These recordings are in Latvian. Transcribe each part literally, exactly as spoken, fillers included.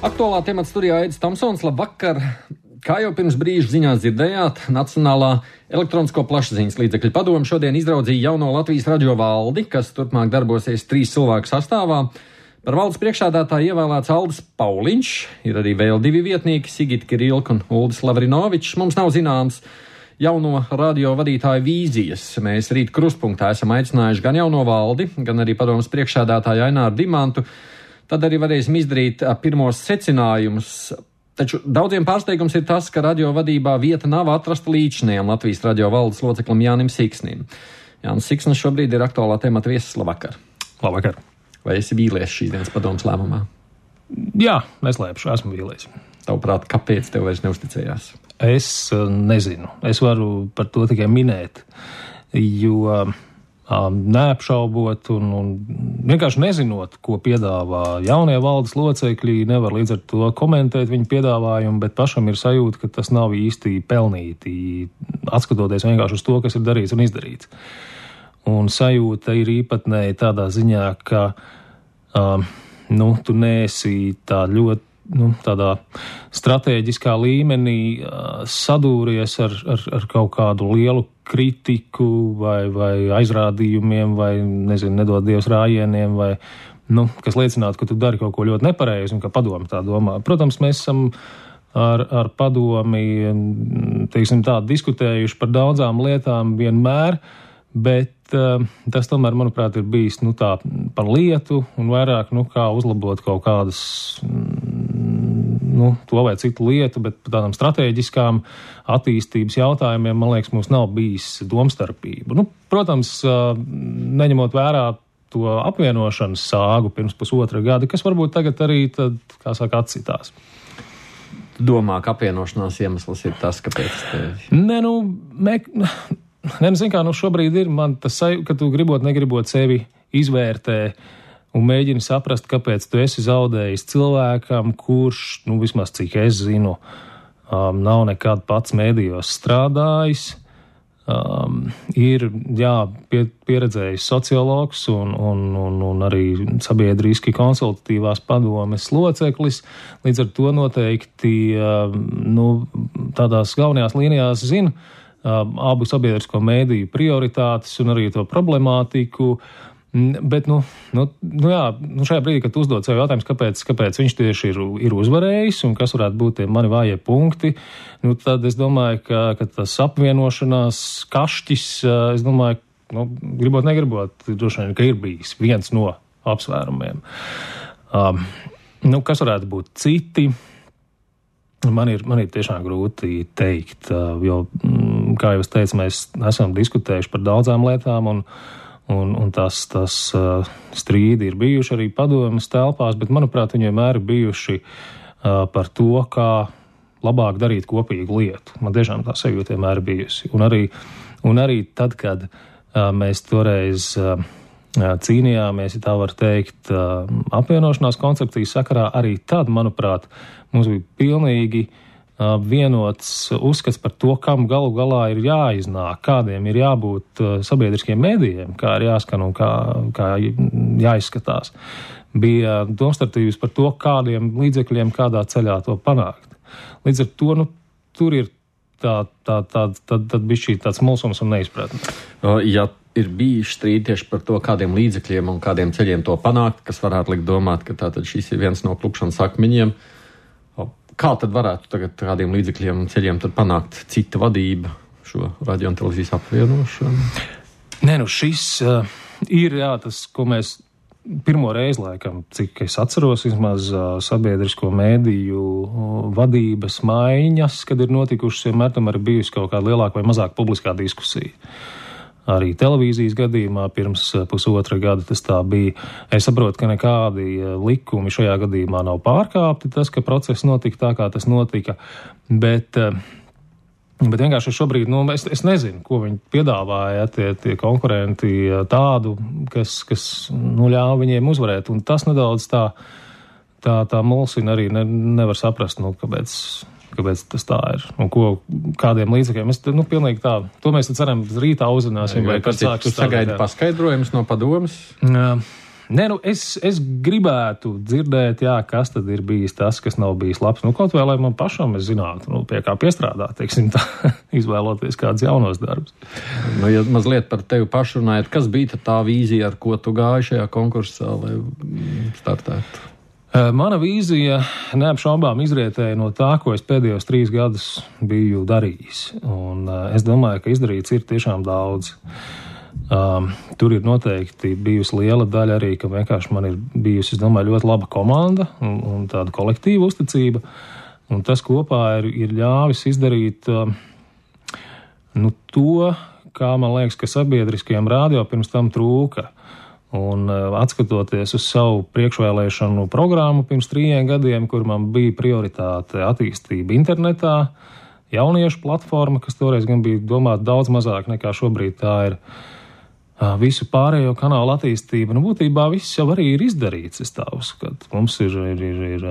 Aktuālā temata studijā Aidis Tomsons. Labvakar! Kā jau pirms brīža ziņās dzirdējāt, Nacionālā elektronisko plašsaziņas līdzekļu padome šodien izraudzīja jauno Latvijas radio valdi, kas turpmāk darbosies trīs cilvēku sastāvā. Par valdes priekšsēdētāju ievēlēts Aldis Pauliņš, ir arī vēl divi vietnieki, Sigita Kirilka un Uldis Lavrinovičs. Mums nav zināms jauno radio vadītāju vīzijas. Mēs rīt krustpunktā esam aicinājuši gan jauno valdi, gan arī padomes priekšsēdētāju Aināru Dimantu. Tad arī varēsim izdarīt pirmos secinājumus. Taču daudziem pārsteigums ir tas, ka radio vadībā vieta nav atrasta līdzinējam Latvijas radio valdes loceklim Jānim Siksnim. Jānis Siksnis šobrīd ir aktuālā temata viesis. Labvakar! Labvakar! Vai esi vīlies šīs dienas padomes lēmumā? Jā, neslēpšu, esmu vīlies. Tavuprāt, kāpēc tev vairs neusticējās? Es uh, nezinu. Es varu par to tikai minēt, jo uh, neapšaubot un, un vienkārši nezinot, ko piedāvā jaunie valdes locekļi, nevar līdz ar to komentēt viņu piedāvājumu, bet pašam ir sajūta, ka tas nav īsti pelnīti, atskatoties vienkārši uz to, kas ir darīts un izdarīts. Un sajūta ir īpatnēji tādā ziņā, ka um, nu, tu neesi tā ļoti nu, tādā stratēģiskā līmenī uh, sadūries ar, ar, ar kaut kādu lielu kritiku vai, vai aizrādījumiem vai, nezinu, nedod Dievs rājieniem vai, nu, kas liecinātu, ka tu dari kaut ko ļoti nepareizi un ka padomi tā domā. Protams, mēs esam ar, ar padomi, teiksim tā, diskutējuši par daudzām lietām vienmēr, bet uh, tas tomēr, manuprāt, ir bijis, nu, tā par lietu un vairāk, nu, kā uzlabot kaut kādas, nu, to vai citu lietu, bet par tādām strateģiskām attīstības jautājumiem, man liekas, mums nav bijis domstarpību. Nu, protams, neņemot vērā to apvienošanas sāgu pirms pusotra gada, kas varbūt tagad arī, tad, kā saka, atsitās. Tu domā, ka apvienošanās iemesls ir tas, kāpēc tevi? Nē, nu, me, ne, nu, zin kā, nu, šobrīd ir man tas, ka tu gribot, negribot sevi izvērtē un mēģini saprast, kāpēc tu esi zaudējis cilvēkam, kurš, nu, vismaz cik es zinu, um, nav nekad pats mēdījos strādājis, um, ir, jā, pie, pieredzējis sociologs un, un, un, un arī sabiedriski konsultatīvās padomes loceklis, līdz ar to noteikti, um, nu, tādās galvenajās līnijās zina um, abu sabiedrisko mēdīju prioritātes un arī to problemātiku. Bet, nu, nu, nu jā, nu šajā brīdī, kad uzdod sev jautājums, kāpēc, kāpēc viņš tieši ir, ir uzvarējis un kas varētu būt tie mani vājie punkti, nu tad es domāju, ka, ka tas apvienošanās kašķis, es domāju, nu, gribot, negribot, droši vien, ka ir bijis viens no apsvērumiem. Um, nu, kas varētu būt citi? Man ir, man ir tiešām grūti teikt, jo, kā jau es teicu, mēs esam diskutējuši par daudzām lietām un Un, un tas, tas uh, strīdi ir bijuši arī padomes telpās, bet, manuprāt, viņi vienmēr ir bijuši uh, par to, kā labāk darīt kopīgu lietu. Man tiešām tā sajūta vienmēr ir bijusi. Un arī, un arī tad, kad uh, mēs toreiz uh, cīnījāmies, ja tā var teikt, uh, apvienošanās koncepcijas sakarā, arī tad, manuprāt, mums bija pilnīgi vienots uzskats par to, kam galu galā ir jāiznāk, kādiem ir jābūt sabiedriskiem mēdījiem, kā ir jāskan un kā, kā jāizskatās. Bija domstarpības par to, kādiem līdzekļiem, kādā ceļā to panākt. Līdz ar to, nu, tur ir tā, tā, tā, tad, tad bija šī tāds mulsums un neizpratne. Ja ir bijuši strīdi tieši par to, kādiem līdzekļiem un kādiem ceļiem to panākt, kas varētu likt domāt, ka tātad šis ir viens no klupšanas akmeņiem, kā tad varētu tagad kādiem līdzekļiem un ceļiem tad panākt cita vadība šo radio un televīzijas apvienošanu? Nē, nu šis uh, ir, jā, tas, ko mēs pirmo reizi, laikam, cik es atceros, vismaz uh, sabiedrisko mēdīju uh, vadības maiņas, kad ir notikušas, vienmēr tam arī bijusi kaut kāda lielāka vai mazāka publiskā diskusija. Arī televīzijas gadījumā pirms pusotra gada tas tā bija. Es saprotu, ka nekādi likumi šajā gadījumā nav pārkāpti, tas, ka process notika tā, kā tas notika, bet, bet vienkārši šobrīd, nu, es, es nezinu, ko viņi piedāvāja, tie, tie konkurenti tādu, kas, kas nu, ļāva viņiem uzvarēt, un tas nedaudz tā, tā, tā mulsina arī ne, nevar saprast, nu, kāpēc... kāpēc tas tā ir un ko, kādiem līdzekļiem. Es, nu, pilnīgi tā, to mēs ceram rītā uzzināsim. Vai kas sāks sagaida paskaidrojumus no padomes? Jā, Nē, nu, es, es gribētu dzirdēt, jā, kas tad ir bijis tas, kas nav bijis labs. Nu, kaut vai, lai man pašam es zinātu, nu, pie kā piestrādāt, teiksim tā, izvēloties kādus jaunos darbus. Nu, ja mazliet par tevi pašu runājot, kas bija tā vīzija, ar ko tu gāji šajā konkursā, lai startētu? Mana vīzija neapšaubām izrietēja no tā, ko es pēdējos trīs gadus biju darījis. Un es domāju, ka izdarīts ir tiešām daudz. Um, tur ir noteikti bijusi liela daļa arī, ka vienkārši man ir bijusi, es domāju, ļoti laba komanda un, un tāda kolektīva uzticība. Un tas kopā ir, ir ļāvis izdarīt um, nu, to, kā man liekas, ka sabiedriskajiem radio pirms tam trūka. Un atskatoties uz savu priekšvēlēšanu programmu pirms trījiem gadiem, kur man bija prioritāte attīstība internetā, jauniešu platforma, kas toreiz gan bija domāta daudz mazāk nekā šobrīd tā ir, visu pārējo kanālu attīstība. Nu, būtībā viss jau arī ir izdarīts, es tā uzskatu. Mums ir, ir, ir, ir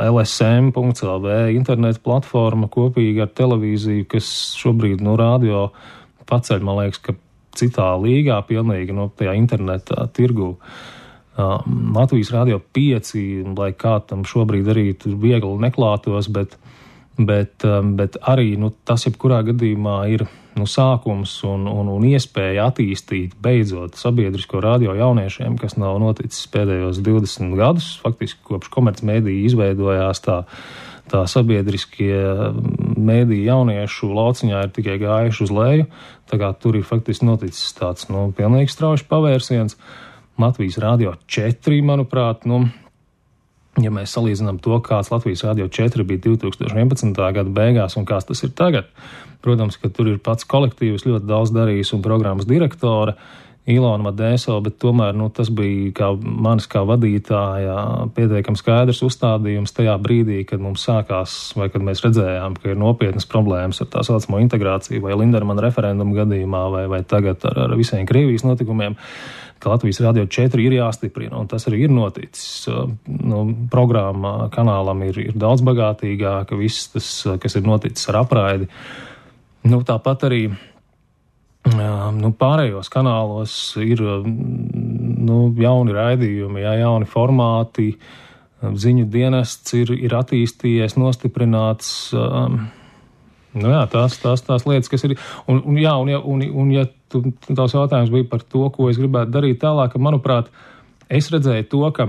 L S M punkts L V interneta platforma kopīgi ar televīziju, kas šobrīd no radio paceļ, man liekas, ka citā līgā, pilnīgi no tajā internetā tirgu. Uh, Latvijas radio pieci, lai kā tam šobrīd arī tur viegli neklātos, bet, bet, um, bet arī nu, tas jebkurā gadījumā ir nu, sākums un, un, un iespēja attīstīt beidzot sabiedrisko radio jauniešiem, kas nav noticis pēdējos divdesmit gadus, faktiski kopš komercmediji izveidojās tā. Tā sabiedriskie mēdī jauniešu lauciņā ir tikai gājuši uz leju, tā kā tur ir faktiski noticis tāds, nu, pilnīgi strauji pavērsiens. Latvijas radio četri, manuprāt, nu, ja mēs salīdzinām to, kāds Latvijas radio četri bija divi tūkstoši vienpadsmitā gada beigās un kāds tas ir tagad, protams, ka tur ir pats kolektīvs ļoti daudz darījis un programmas direktore, Ilona Madēsova, bet tomēr nu, tas bija kā manis kā vadītāja pietiekami skaidrs uzstādījums tajā brīdī, kad mums sākās, vai kad mēs redzējām, ka ir nopietnas problēmas ar tā saucamo integrāciju, vai Lindermana referendumu gadījumā, vai, vai tagad ar, ar visiem Krievijas notikumiem, ka Latvijas radio četri ir jāstiprina, un tas arī ir noticis. Nu, programma kanālam ir, ir daudz bagātīgāka, viss tas, kas ir noticis ar apraidi. Nu, tāpat arī Nu, pārējos kanālos ir nu, jauni raidījumi, jā, jauni formāti, ziņu dienests ir, ir attīstījies, nostiprināts. Nu, jā, tās, tās, tās lietas, kas ir. Un, un, jā, un, un, un ja tu, tās jautājums bija par to, ko es gribētu darīt tālāk, manuprāt, es redzēju to, ka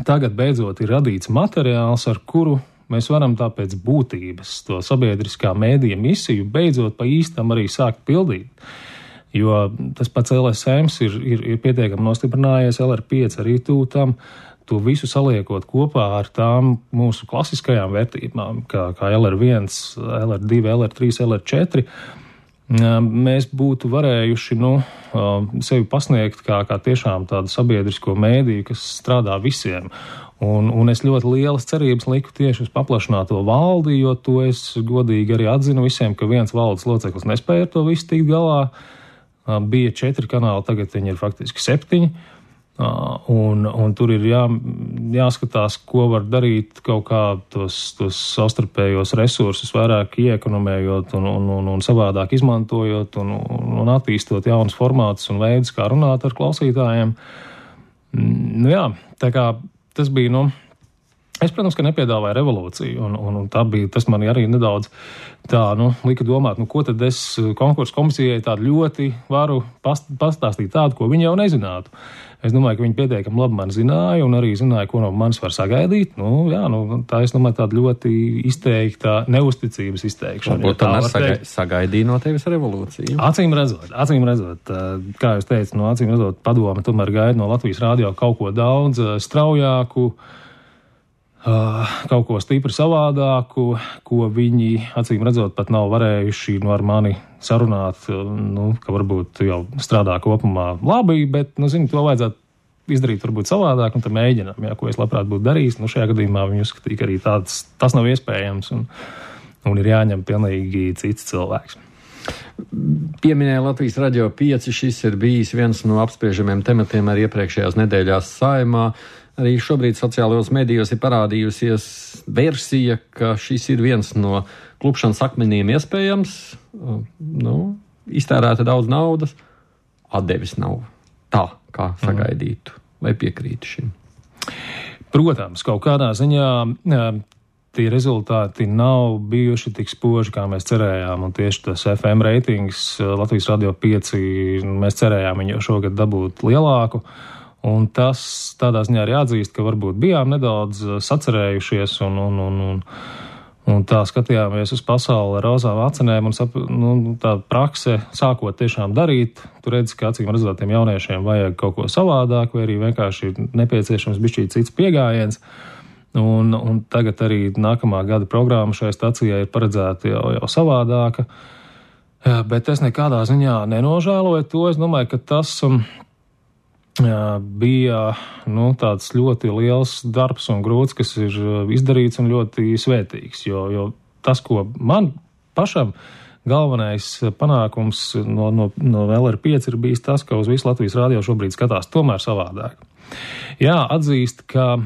tagad beidzot ir radīts materiāls, ar kuru mēs varam tāpēc būtības to sabiedriskā mēdīja misiju beidzot pa īstam arī sākt pildīt. Jo tas pats L S M ir, ir, ir pietiekami nostiprinājies, L R pieci arī tūtam, to visu saliekot kopā ar tām mūsu klasiskajām vērtībām, kā, kā L R viens, L R divi, L R trīs, L R četri. Mēs būtu varējuši nu, sevi pasniegt kā, kā tiešām tādu sabiedrisko mēdīju, kas strādā visiem. Un, un es ļoti lielas cerības liku tieši uz paplašināto valdi, jo to es godīgi arī atzinu visiem, ka viens valdes loceklis nespēja ar to visu tikt galā. Bija četri kanāli, tagad viņi ir faktiski septiņi. Un, un tur ir jā, jāskatās, ko var darīt kaut kā tos, tos savstarpējos resursus vairāk iekonomējot un, un, un, un savādāk izmantojot un, un attīstot jaunus formātus un veidus, kā runāt ar klausītājiem. Nu jā, tā kā tas bija, nu, es, protams, ka nepiedāvāju revolūciju, un, un, un tā bija, tas man arī nedaudz tā, nu, lika domāt, nu, ko tad es konkursu komisijai tādu ļoti varu past, pastāstīt tādu, ko viņi jau nezinātu. Es domāju, ka viņi pietiekami labi man zināja un arī zināja, ko no manis var sagaidīt. Nu, jā, nu, tā es domāju, tāda ļoti izteikta neusticības izteikšana. Varbūt tā nesagai, sagaidīja no tevis revolūciju. Acīm redzot, acīm redzot, kā jūs teicat, no acīm redzot, padome tomēr gaida no Latvijas radio kaut ko daudz straujāku, kaut ko stipri savādāku, ko viņi, acīm redzot, pat nav varējuši nu, ar mani sarunāt, nu, ka varbūt jau strādā kopumā labi, bet, nu, zinu, to vajadzētu izdarīt varbūt savādāk, un tad mēģinām, jā, ko es labprāt būtu darījis. Nu, šajā gadījumā viņi uzskatīja, ka arī tāds, tas nav iespējams, un, un ir jāņem pilnīgi cits cilvēks. Pieminēja Latvijas radio pieci, šis ir bijis viens no apspriežamiem tematiem arī iepriekšējās nedēļās Saeimā. Arī šobrīd sociālajos medijos ir parādījusies versija, ka šis ir viens no klupšanas akmeniem iespējams. Nu, iztērēta daudz naudas, atdevis nav. Tā kā sagaidītu, vai piekrītu šim? Protams, kaut kādā ziņā tie rezultāti nav bijuši tik spoži, kā mēs cerējām, un tieši tas F M reitings Latvijas Radio pieci, mēs cerējām viņu šogad dabūt lielāku, un tas tādā ziņā arī atzīst, ka varbūt bijām nedaudz sacerējušies, un, un, un, un, un tā skatījāmies uz pasauli ar rozām acinēm, un sap, nu, tā prakse sākot tiešām darīt, tu redzi, ka acīm redzot tiem jauniešiem vajag kaut ko savādāk, vai arī vienkārši nepieciešams bišķīt cits piegājiens. Un, un tagad arī nākamā gada programma šai stacijai ir paredzēta jau, jau savādāka, bet es nekādā ziņā nenožēloju to. Es domāju, ka tas um, bija nu, tāds ļoti liels darbs un grūts, kas ir izdarīts un ļoti svētīgs, jo, jo tas, ko man pašam galvenais panākums no, no, no L R pieci ir bijis tas, ka uz visu Latvijas radio šobrīd skatās tomēr savādāk. Jā, atzīst, ka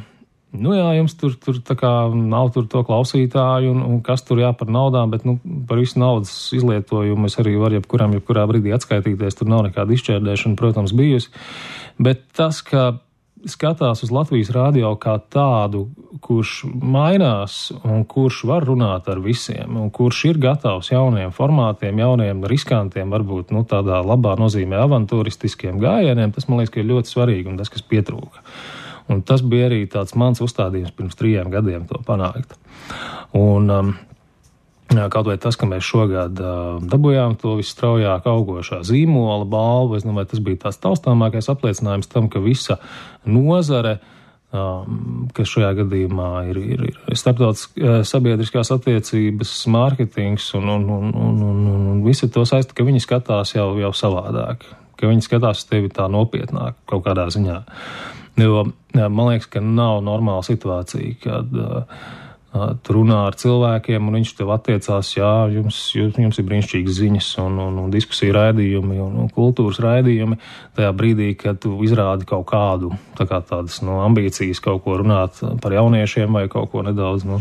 Nu jā, jums tur, tur tā kā nav tur to klausītāju un, un kas tur jā par naudām, bet nu, par visu naudas izlietojumu es arī varu jebkuram, jebkurā brīdī atskaitīties, tur nav nekāda izšķērdēšana, protams, bijusi. Bet tas, ka skatās uz Latvijas radio kā tādu, kurš mainās un kurš var runāt ar visiem un kurš ir gatavs jauniem formātiem, jauniem riskantiem, varbūt nu, tādā labā nozīmē avantūristiskiem gājieniem, tas man liekas, ka ir ļoti svarīgi un tas, kas pietrūka. Un tas bija arī tāds mans uzstādījums pirms trījiem gadiem to panākt. Un um, kaut vai tas, ka mēs šogad uh, dabūjām to visstraujāk augošā zīmola balvu, es domāju, tas bija tāds taustāmākais apliecinājums tam, ka visa nozare, um, kas šajā gadījumā ir, ir, ir starptautiskās sabiedriskās attiecības, mārketings un, un, un, un, un, un visi to saista, ka viņi skatās jau, jau savādāk, ka viņi skatās tevi tā nopietnāk kaut kādā ziņā. Jo man liekas, ka nav normāla situācija, kad uh, uh, tu runā ar cilvēkiem un viņš tev attiecās, jā, jums, jums, jums ir brīnišķīgas ziņas un, un, un diskusiju raidījumi un, un kultūras raidījumi. Tajā brīdī, kad tu izrādi kaut kādu, tā kā tādas no ambīcijas kaut ko runāt par jauniešiem vai kaut ko nedaudz, nu,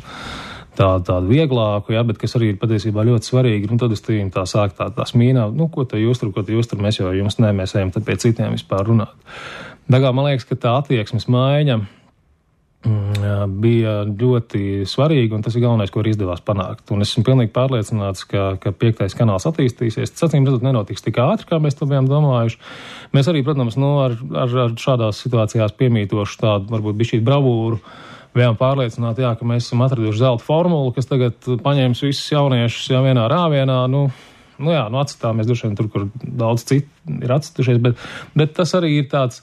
tā, tādu vieglāku, jā, bet kas arī ir patiesībā ļoti svarīgi, un tad uz tīm tā sāk tā, tā smīnā, nu, ko te jūs tur, ko te jūs tur, mēs jau jums ne, mēs ejam tad pie citiem vispār runāt. Dagā, man liekas, ka tā attieksmes maiņa mm, bija ļoti svarīga, un tas ir galvenais, ko arī izdevās panākt. Un es esmu pilnīgi pārliecināts, ka, ka piektais kanāls attīstīsies. Tas, acīm redzot, nenotiks tik ātri, kā mēs to bijām domājuši. Mēs arī, protams, nu, ar, ar, ar šādās situācijās piemītoši tādu, varbūt bišķīt bravūru, bijām pārliecināti, jā, ka mēs esam atraduši zelta formulu, kas tagad paņēmis visus jauniešus jau vienā rāvienā, nu, nu jā, nu atstāmies droši vien tur, kur daudz citu ir atstušies, bet, bet tas arī ir tāds,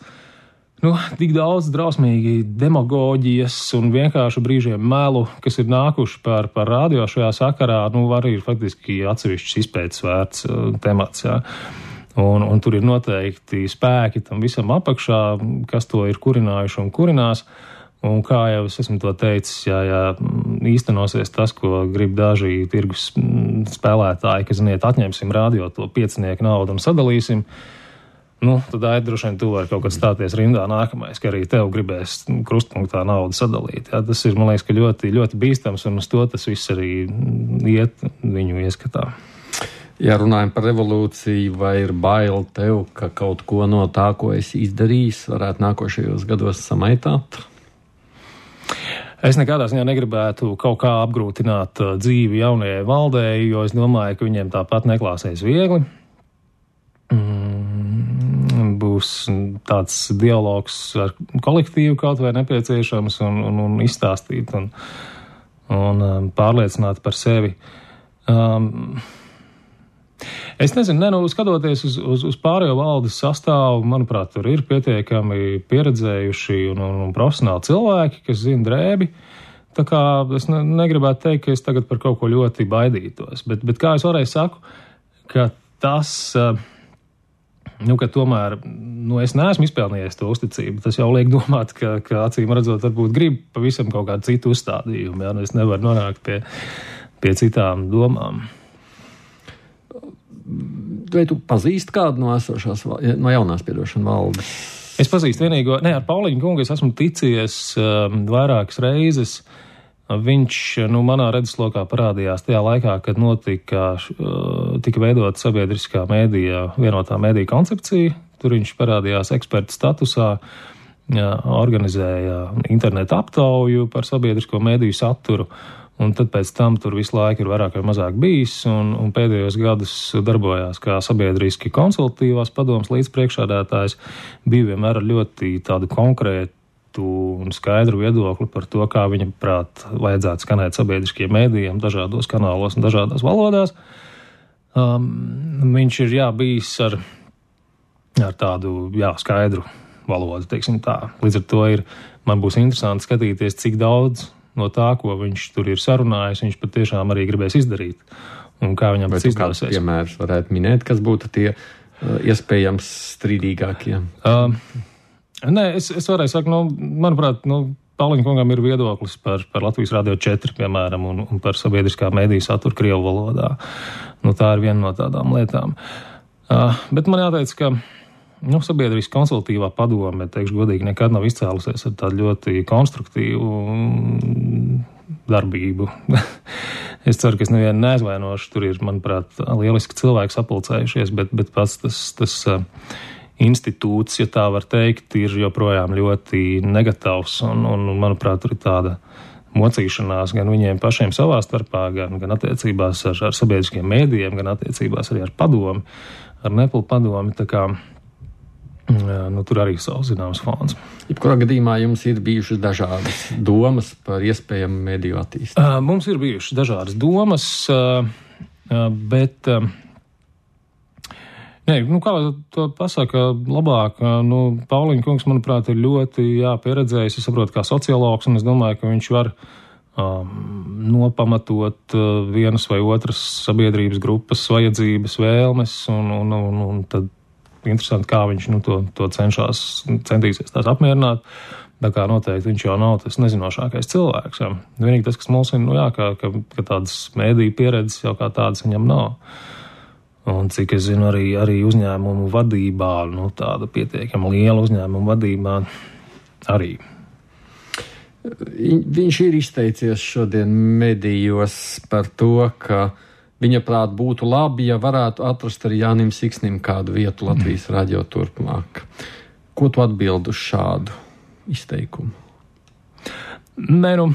nu, tik daudz drausmīgi demagoģijas un vienkārši brīžiem melu, kas ir nākuši par, par radio šajā sakarā, nu, arī ir faktiski atsevišķs izpētes vērts uh, temats, jā. Un, un tur ir noteikti spēki tam visam apakšā, kas to ir kurinājuši un kurinās. Un kā jau es esmu to teicis, ja, ja īstenosies tas, ko grib daži tirgus spēlētāji, ka, ziniet, atņemsim radio to piecinieku naudu un sadalīsim, nu, tad ir droši vien tu vari kaut kad stāties rindā nākamais, ka arī tev gribēs krustpunktā naudu sadalīt. Ja, tas ir, man liekas, ka ļoti, ļoti bīstams, un uz to tas viss arī iet viņu ieskatā. Ja runājam par revolūciju, vai ir bail tev, ka kaut ko no tā, ko esi izdarījis, varētu nākošajos gados samaitāt? Es nekādā ziņā negribētu kaut kā apgrūtināt dzīvi jaunajai valdei, jo es domāju, ka viņiem tāpat neklāsies viegli. Mm, būs tāds dialogs ar kolektīvu kaut vai nepieciešams un, un, un izstāstīt un, un pārliecināt par sevi. Um, Es nezinu, ne, nu, skatoties uz, uz, uz pārējo valdes sastāvu, manuprāt, tur ir pietiekami pieredzējuši un, un, un profesionāli cilvēki, kas zina drēbi. Tā kā es ne, negribētu teikt, ka es tagad par kaut ko ļoti baidītos. Bet, bet kā es varēju saku, ka tas, nu, ka tomēr, nu, es neesmu izpelnījies to uzticību. Tas jau liek domāt, ka, ka acīm redzot, varbūt grib pavisam kaut kādu citu uzstādījumu. Ja? Nu, es nevaru nonākt pie, pie citām domām. Vai tu pazīsti kādu no esošās, no jaunās piedošana valdes? Es pazīstu vienīgo, ne, ar Pauliņu kungu es esmu ticies um, vairākas reizes. Viņš, nu, manā redzeslokā parādījās tajā laikā, kad notika, uh, tika veidota sabiedriskā mēdija, vienotā mēdija koncepcija. tur viņš parādījās eksperta statusā, jā, organizēja internetu aptauju par sabiedrisko mediju saturu, un tad pēc tam tur visu laiku ir vairāk vai mazāk bijis, un, un pēdējos gadus darbojās kā sabiedriski konsultatīvās padomas līdzpriekšādātājs, bija vienmēr ar ļoti tādu konkrētu un skaidru viedokli par to, kā viņa prāt vajadzētu skanēt sabiedriskiem mēdījiem dažādos kanālos un dažādās valodās. Um, viņš ir, jā, bijis ar, ar tādu, jā, skaidru valodu, teiksim tā. Līdz ar to ir, man būs interesanti skatīties, cik daudz no tā, ko viņš tur ir sarunājis, viņš patiešām arī gribēs izdarīt. Un kā viņam tas izdosies. Vai tu kādus piemērus varētu minēt, kas būtu tie uh, iespējams strīdīgākie? Um, Nē, es, es varēju sakt, nu, manuprāt, nu, Pauliņa kungam ir viedoklis par, par Latvijas Radio četri, piemēram, un, un par sabiedriskā mediju saturu krievu valodā. Nu, tā ir viena no tādām lietām. Uh, bet man jāteic, ka, nu, sabiedriskā konsultatīvā padome, teikšu godīgi, nekad nav izcēlusies ar tādu ļoti konstruktīvu darbību. Es ceru, ka es nevienu neaizvainošu, tur ir, manuprāt, lieliski cilvēki sapulcējušies, bet, bet pats tas, tas uh, institūts, ja tā var teikt, ir joprojām ļoti negatīvs, un, un, manuprāt, tur ir tāda mocīšanās gan viņiem pašiem savā starpā, gan, gan attiecībās ar, ar sabiedriskiem mēdījiem, gan attiecībās arī ar padomi, ar Neplu padomi, tā kā, nu, tur arī savs zināms fons. Jebkurā gadījumā jums ir bijušas dažādas domas par iespējamu mediju attīstību? Mums ir bijušas dažādas domas, bet Nē, nu kā to pasaka labāk, nu, Pauliņa kungs, manuprāt, ir ļoti, jā, pieredzējis, es saprotu, kā sociologs, un es domāju, ka viņš var um, nopamatot uh, vienas vai otras sabiedrības grupas vajadzības, vēlmes, un, un, un, un tad interesanti, kā viņš, nu, to, to cenšās, centīsies tās apmierināt. Tā kā noteikti viņš jau nav tas nezinošākais cilvēks. Jā. Vienīgi tas, kas mums ir, nu jā, ka, ka, ka tādas mēdīju pieredzes jau kā tādas viņam nav. Un cik es zinu, arī, arī uzņēmumu vadībā, nu, tāda pietiekama liela uzņēmumu vadībā arī. Viņš ir izteicies šodien medijos par to, ka viņa prāt būtu labi, ja varētu atrast arī Jānim Siksnim kādu vietu Latvijas radio turpmāk. Ko tu atbildi uz šādu izteikumu? Nē, nu,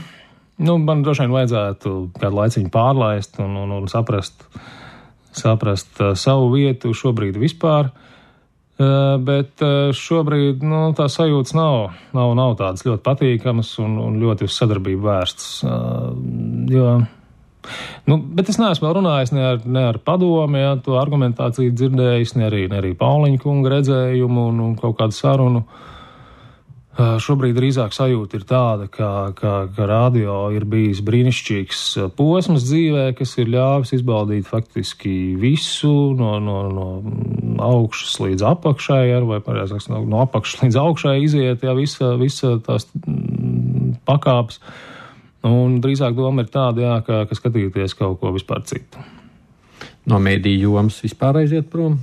nu man droši vien vajadzētu kādu laiciņu pārlaist un, un, un saprast, saprast uh, savu vietu šobrīd vispār, uh, bet uh, šobrīd, nu, tā sajūtas nav, nav, nav tādas ļoti patīkamas un, un ļoti uz sadarbību vērstas, uh, jo, nu, bet es neesmu vēl runājis ne ar, ne ar padomi, ja, to argumentāciju dzirdējis, ne arī, ne arī Pauliņa kunga redzējumu un, un kaut kādu sarunu. Šobrīd drīzāk sajūta ir tāda, ka, ka, ka radio ir bijis brīnišķīgs posms dzīvē, kas ir ļāvis izbaudīt faktiski visu no, no, no augšas līdz apakšai, vai pareizāk no, no apakšas līdz augšai iziet, jā, visa, visa tās pakāpes. Un drīzāk doma ir tāda, jā, ka, ka skatīties kaut ko vispār citu. No mediju jomas vispār aiziet prom?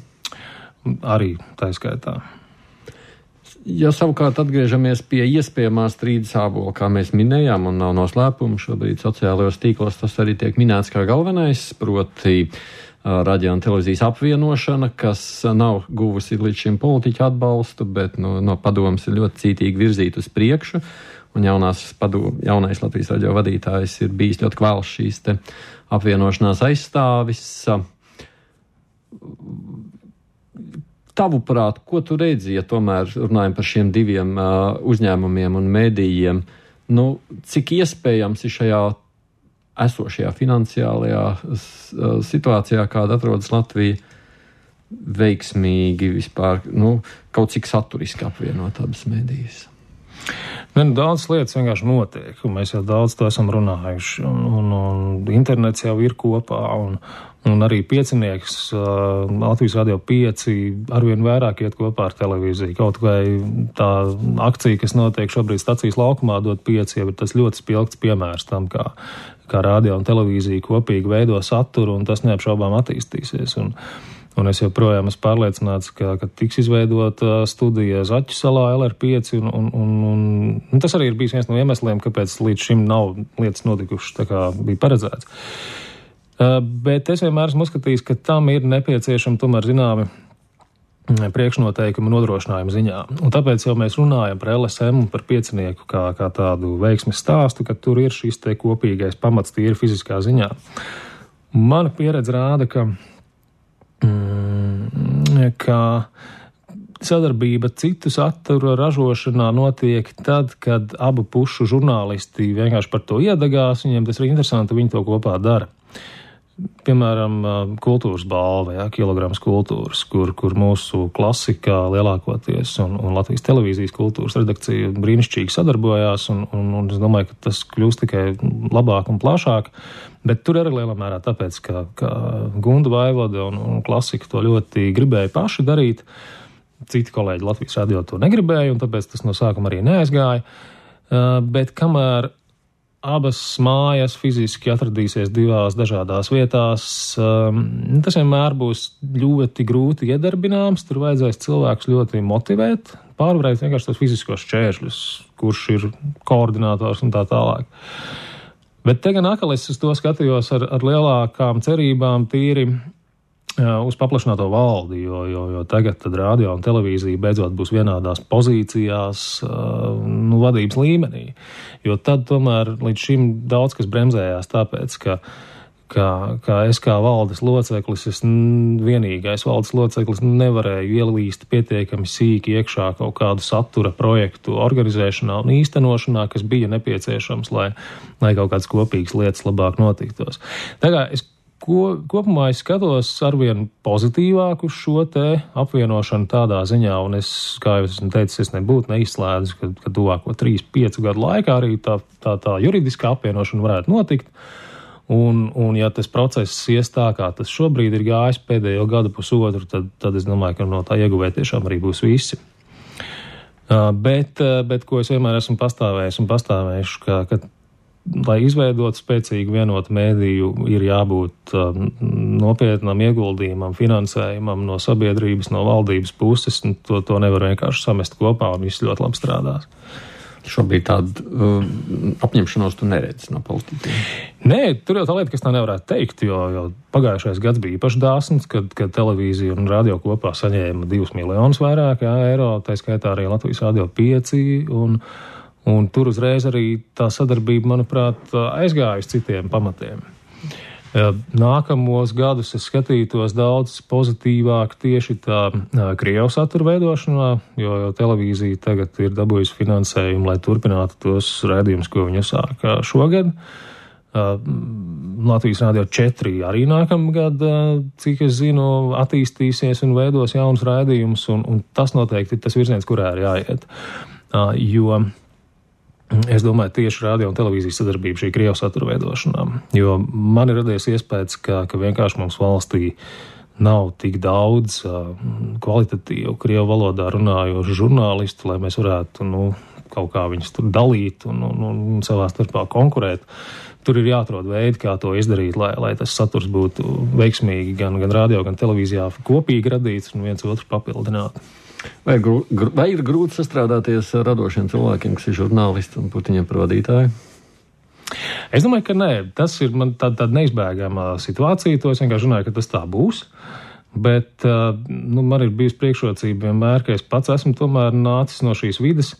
Arī tā skaitā. Ja savukārt atgriežamies pie iespējamā strīda sābola, kā mēs minējām, un nav noslēpumu, šobrīd sociālajos tīklos tas arī tiek minēts kā galvenais, proti radio un televīzijas apvienošana, kas nav guvusi līdz šim politiķu atbalstu, bet no, no padomas ir ļoti cītīgi virzīt uz priekšu, un jaunās padom, jaunais Latvijas radio vadītājs ir bijis ļoti kvēls šīs te apvienošanās aizstāvis. Tavuprāt, ko tu redzi, ja tomēr runājam par šiem diviem uh, uzņēmumiem un mēdījiem, nu, cik iespējams ir šajā esošajā finansiālajā uh, situācijā, kāda atrodas Latvija, veiksmīgi vispār, nu, kaut cik saturiski apvienot abas mēdījas? Ne, nu, daudz lietas vienkārši notiek, un mēs jau daudz to esam runājuši, un, un, un internets jau ir kopā, un, un arī piecinieks, uh, Latvijas radio pieci, arvien vairāk iet kopā ar televīziju. Kaut vai tā akcija, kas notiek šobrīd stacijas laukumā, dot pieci, jau ir tas ļoti spilgts piemērs tam, kā, kā radio un televīzija kopīgi veido saturu, un tas neapšaubām attīstīsies. Un, Un es joprojām esmu pārliecināts, ka, ka tiks izveidota studija Zaķu salā L R pieci, un, un, un, un, un tas arī ir bijis viens no iemesliem, kāpēc līdz šim nav lietas notikušas tā kā bija paredzēts. Uh, bet es vienmēr esmu uzskatījis, ka tam ir nepieciešami tomēr zināmi priekšnoteikumu nodrošinājumu ziņā. Un tāpēc jau mēs runājam par L S M un par piecinieku kā, kā tādu veiksmes stāstu, ka tur ir šis te kopīgais pamats tīri fiziskā ziņā. Mana pieredze rāda, ka, mm, ka sadarbība citu satura ražošanā notiek tad, kad abu pušu žurnālisti vienkārši par to iedegās, viņiem tas ir interesanti, viņi to kopā dara. Piemēram, kultūras balva, jā, kilograms kultūras, kur, kur mūsu klasikā lielākoties un, un Latvijas televīzijas kultūras redakcija brīnišķīgi sadarbojās, un, un, un es domāju, ka tas kļūst tikai labāk un plašāk, bet tur arī lielā mērā tāpēc, ka, ka Gunda Vaivoda un, un klasika to ļoti gribēja paši darīt. Citi kolēģi Latvijas radio to negribēja, un tāpēc tas no sākuma arī neaizgāja. Bet kamēr abas mājas fiziski atradīsies divās dažādās vietās, tas vienmēr būs ļoti grūti iedarbināms, tur vajadzēs cilvēkus ļoti motivēt, pārvarēt vienkārši tos fiziskos šķēršļus, kurš ir koordinators un tā tālāk. Bet te gan atkal es uz to skatījos ar, ar lielākām cerībām tīri uz paplašināto valdi, jo, jo, jo tagad tad radio un televīzija beidzot būs vienādās pozīcijās, nu, vadības līmenī. Jo tad tomēr līdz šim daudz kas bremzējās tāpēc, ka, ka, ka es kā valdes loceklis, es vienīgais valdes loceklis nevarēju ielīst pietiekami sīki iekšā kaut kādu satura projektu organizēšanā un īstenošanā, kas bija nepieciešams, lai, lai kaut kādas kopīgas lietas labāk notiktos. Tagad es Ko, kopumā es skatos arvien pozitīvāk uz šo te apvienošanu tādā ziņā, un es, kā jau esmu teicis, es nebūtu neizslēdzu, ka, ka tuvāko trīs, piecu gadu laikā arī tā, tā, tā juridiskā apvienošana varētu notikt. Un, un ja tas process ies tā, kā tas šobrīd ir gājis pēdējo gadu pusotru, tad, tad es domāju, ka no tā ieguvēt tiešām arī būs visi. Uh, bet, uh, bet ko es vienmēr esmu pastāvējis un pastāvējuši, ka, ka lai izveidot spēcīgu vienotu mēdīju, ir jābūt um, nopietnam ieguldījumam, finansējumam no sabiedrības, no valdības puses, un to, to nevar vienkārši samest kopā, un viss ļoti labi strādās. Šobrīd tādu uh, apņemšanos tu neredzi no politiķiem? Nē, tur jau tā lieta, kas tā nevarētu teikt, jo, jo pagājušais gads bija īpaši dāsns, kad, kad televīzija un radio kopā saņēma divus miljonus vairāk jā, eiro, tā skaitā arī Latvijas radio pieci, un Un tur uzreiz arī tā sadarbība, manuprāt, aizgāja uz citiem pamatiem. Nākamos gadus es skatītos daudz pozitīvāk tieši tā Krievu satura veidošanā, jo, jo televīzija tagad ir dabūjusi finansējumu, lai turpinātu tos raidījumus, ko viņi uzsāka šogad. Latvijas radio četri arī nākamgad, cik es zinu, attīstīsies un veidos jaunus raidījumus, un, un tas noteikti ir tas virziens, kurā ir jāiet. Jo es domāju, tieši radio un televīzijas sadarbība šī Krievu satura veidošanā, jo man ir radies iespējas, ka, ka vienkārši mums valstī nav tik daudz uh, kvalitatīvu Krievu valodā runājošu žurnālistu, lai mēs varētu, nu, kaut kā viņus tur dalīt un, un, un savā starpā konkurēt. Tur ir jāatrod veidi, kā to izdarīt, lai, lai tas saturs būtu veiksmīgi gan, gan radio, gan televīzijā kopīgi radīts un viens otru papildināt. Vai, gru, gru, vai ir grūti sastrādāties ar radošiem cilvēkiem, kas ir žurnālisti un būt viņiem par vadītāju? Es domāju, ka nē. Tas ir man tāda, tāda neizbēgama situācija. To es vienkārši runāju, ka tas tā būs. Bet nu, man ir bijusi priekšrocība vienmēr, ka es pats esmu tomēr nācis no šīs vides.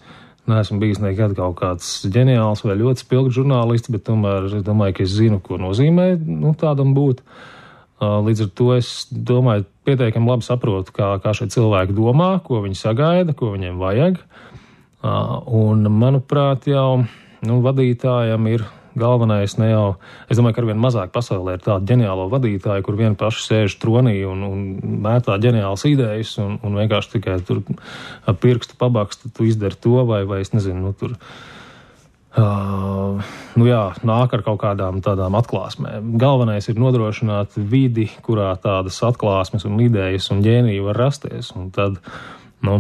Neesmu bijis nekad kaut kāds ģeniāls vai ļoti spilgts žurnālists, bet tomēr es domāju, ka es zinu, ko nozīmē nu, tādam būt. Līdz ar to es domāju, pietiekami labi saprotu, kā, kā šie cilvēki domā, ko viņi sagaida, ko viņiem vajag. Un, manuprāt, jau nu, vadītājam ir galvenais ne jau, es domāju, ka arvien mazāk pasaulē ir tāda ģeniālo vadītāja, kur vien paši sēž tronī un, un mētā ģeniālas idejas un, un vienkārši tikai tur ap pirkstu pabakstu tu izdari to vai, vai es nezinu, nu tur. Uh, nu jā, nāk ar kaut kādām tādām atklāsmēm. Galvenais ir nodrošināt vidi, kurā tādas atklāsmes un idejas un ģēnija var rasties. Un tad, nu,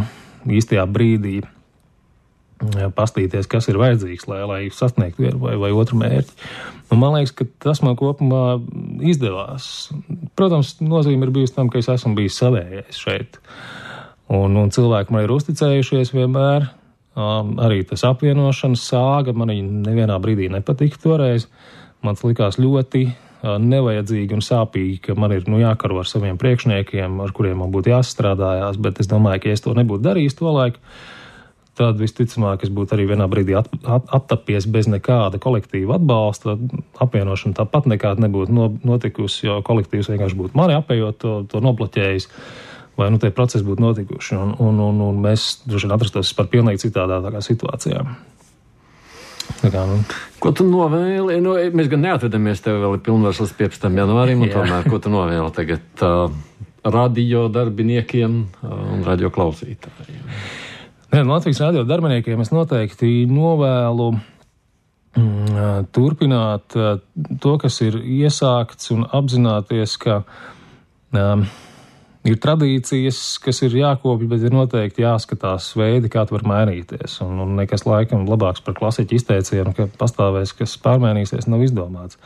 īstajā brīdī jā, pastīties, kas ir vajadzīgs, lai, lai sasniegtu vienu vai, vai otru mērķi. Un man liekas, ka tas man kopumā izdevās. Protams, nozīme ir bijusi tam, ka es esmu bijis savējais šeit. Un, un cilvēki man ir uzticējušies vienmēr. Um, arī tas apvienošanas sāga man nevienā brīdī nepatika toreiz. Man likās ļoti nevajadzīgi un sāpīgi, ka man ir, nu, jākaro ar saviem priekšniekiem, ar kuriem man būtu jāsastrādājās, bet es domāju, ka ja es to nebūtu darījis to laiku, tad visticamāk es būtu arī vienā brīdī at, at, attapies bez nekāda kolektīva atbalsta, apvienošana tāpat nekāda nebūtu no, notikusi, jo kolektīvs vienkārši būtu mani apējot, to, to nobloķējis, vai, nu, tie procesi būtu notikuši, un, un, un, un mēs droši vien atrastos par pilnīgi citādā tā kā situācijā. Kā, nu. Ko tu novēli? Nu, mēs gan neatvedamies, tev vēl ir pilnvars līdz piecpadsmitam janvārim, un tomēr, ko tu novēli tagad uh, radio darbiniekiem uh, un radio klausītājiem? Nē, Latvijas radio darbiniekiem es noteikti novēlu mm, turpināt uh, to, kas ir iesākts, un apzināties, ka um, ir tradīcijas, kas ir jākopja, bet ir noteikti jāskatās veidi, kā tu var mainīties. Un, un nekas laikam labāks par klasiķu izteicienu, ka pastāvēs, kas pārmainīsies, nav izdomāts.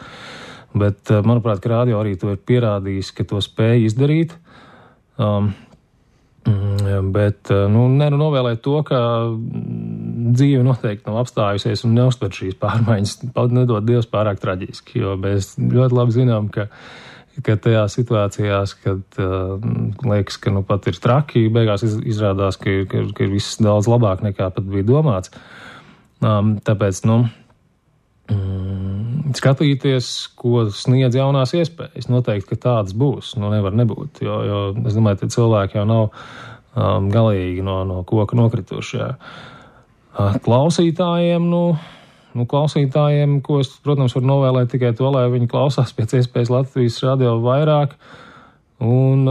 Bet, manuprāt, ka radio arī to ir pierādījis, ka to spēj izdarīt. Um, bet, nu, ne, nu, novēlēt to, ka dzīve noteikti nav apstājusies un neuztver šīs pārmaiņas, nedod Dievs pārāk traģiski, jo mēs ļoti labi zinām, ka ka tajā situācijās, kad uh, liekas, ka nu pat ir traki, beigās iz, izrādās, ka, ka, ka ir viss daudz labāk nekā pat bija domāts. Um, tāpēc, nu, mm, skatīties, ko sniedz jaunās iespējas. Noteikti, ka tādas būs, nu nevar nebūt, jo, jo es domāju, ka cilvēki jau nav um, galīgi no, no koka nokritušie. Uh, klausītājiem, nu, Nu, klausītājiem, ko es, protams, varu novēlēt tikai to, lai viņi klausās pēc iespējas Latvijas radio vairāk. Un,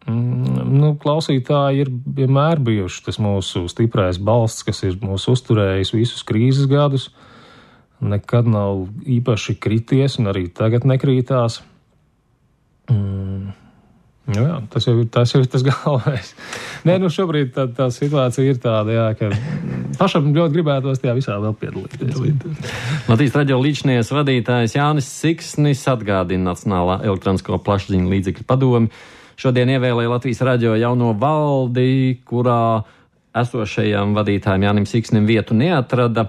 mm, nu, klausītāji ir vienmēr bijuši tas mūsu stiprais balsts, kas ir mūs uzturējis visus krīzes gadus. Nekad nav īpaši krities un arī tagad nekrītās. Mm. Nu jā, tas jau ir tas, jau ir tas galvenais. Nē, nu šobrīd tā, tā situācija ir tāda, jā, ka pašam ļoti gribētos tajā visā vēl piedalīties. Latvijas radio līdzšinies vadītājs Jānis Siksnis atgādina Nacionālā elektronisko plašsaziņu līdzekļu padomi. Šodien ievēlēja Latvijas radio jauno valdi, kurā esošajam vadītājam Jānim Siksnim vietu neatrada.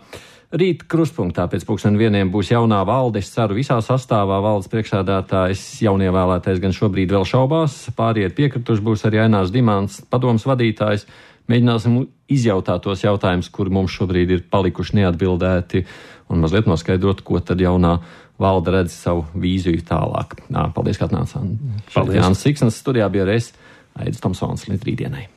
Rīt krustpunktā pēc pulksten vieniem būs jaunā valde, es ceru visā sastāvā. Valdes priekšsēdētājs jaunievēlētais gan šobrīd vēl šaubās, pāriet piekrituši būs arī Ainārs Dimants, padomas vadītājs. Mēģināsim izjautāt tos jautājumus, kuri mums šobrīd ir palikuši neatbildēti, un mazliet noskaidrot, ko tad jaunā valde redz savu vīziju tālāk. Nā, paldies, ka atnācāt. Jānis Siksnis studijā bija reiz Aidis Tomsons līdz rītdienai.